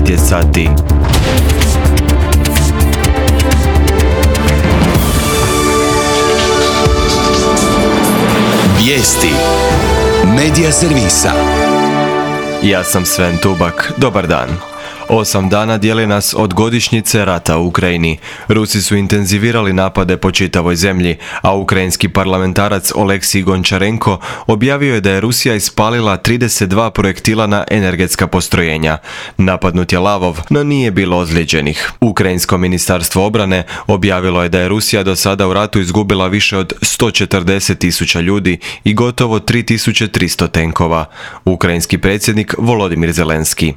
9 je sati. Vijesti Medija servisa. Ja sam Sven Tubak. Dobar dan. 8 dana dijeli nas od godišnjice rata u Ukrajini. Rusi su intenzivirali napade po čitavoj zemlji, a ukrajinski parlamentarac Oleksij Gončarenko objavio je da je Rusija ispalila 32 projektila na energetska postrojenja. Napadnut je Lavov, no nije bilo ozlijeđenih. Ukrajinsko ministarstvo obrane objavilo je da je Rusija do sada u ratu izgubila više od 140.000 ljudi i gotovo 3.300 tenkova. Ukrajinski predsjednik Volodimir Zelenski.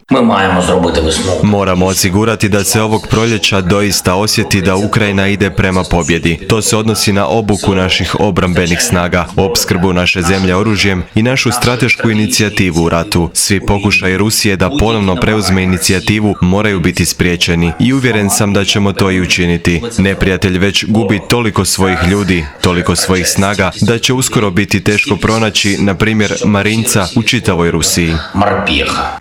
Moramo osigurati da se ovog proljeća doista osjeti da Ukrajina ide prema pobjedi. To se odnosi na obuku naših obrambenih snaga, opskrbu naše zemlje oružjem i našu stratešku inicijativu u ratu. Svi pokušaji Rusije da ponovno preuzme inicijativu moraju biti spriječeni i uvjeren sam da ćemo to i učiniti. Neprijatelj već gubi toliko svojih ljudi, toliko svojih snaga, da će uskoro biti teško pronaći, na primjer, Marinca u čitavoj Rusiji.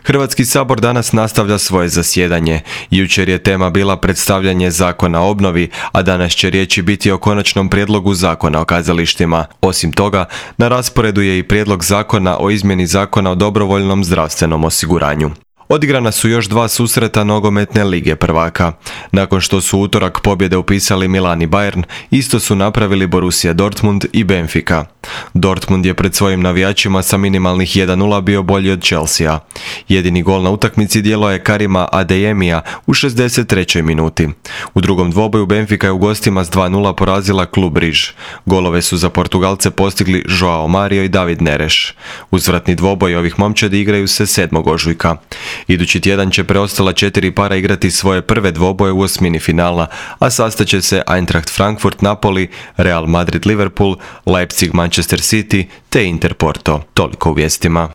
Hrvatski sabor danas nastavlja svoje zasjedanje. Jučer je tema bila predstavljanje zakona o obnovi, a danas će riječi biti o konačnom prijedlogu zakona o kazalištima. Osim toga, na rasporedu je i prijedlog zakona o izmjeni zakona o dobrovoljnom zdravstvenom osiguranju. Odigrana su još 2 susreta nogometne lige prvaka. Nakon što su utorak pobjede upisali Milan i Bayern, isto su napravili Borussia Dortmund i Benfica. Dortmund je pred svojim navijačima sa minimalnih 1:0 bio bolji od Chelsea. Jedini gol na utakmici djelo je Karima Adeyemija u 63. minuti. U drugom dvoboju Benfica je u gostima s 2:0 porazila klub Riž. Golove su za Portugalce postigli Joao Mario i David Neres. Uzvratni dvoboj ovih momčadi igraju se 7. ožujka. Idući tjedan će preostala 4 para igrati svoje prve dvoboje u osmini finala, a sastaće se Eintracht Frankfurt Napoli, Real Madrid Liverpool, Leipzig Manchester City te Inter Porto. Toliko u vijestima.